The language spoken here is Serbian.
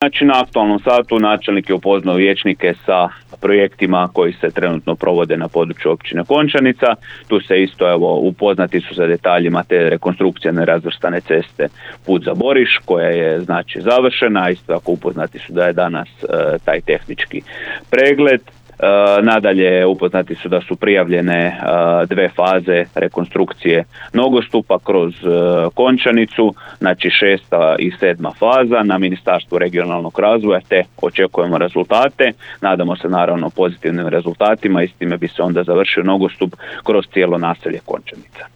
Znači, na aktualnom satu načelnik je upoznao vijećnike sa projektima koji se trenutno provode na području općine Končanica. Tu se isto upoznati su sa detaljima te rekonstrukcije nerazvrstane ceste Put za Boriš, koja je znači završena. Isto tako upoznati su da je danas taj tehnički pregled. Nadalje upoznati su da su prijavljene 2 faze rekonstrukcije nogostupa kroz Končanicu, znači 6. i 7. faza na Ministarstvu regionalnog razvoja, te očekujemo rezultate. Nadamo se naravno pozitivnim rezultatima i s time bi se onda završio nogostup kroz cijelo naselje Končanica.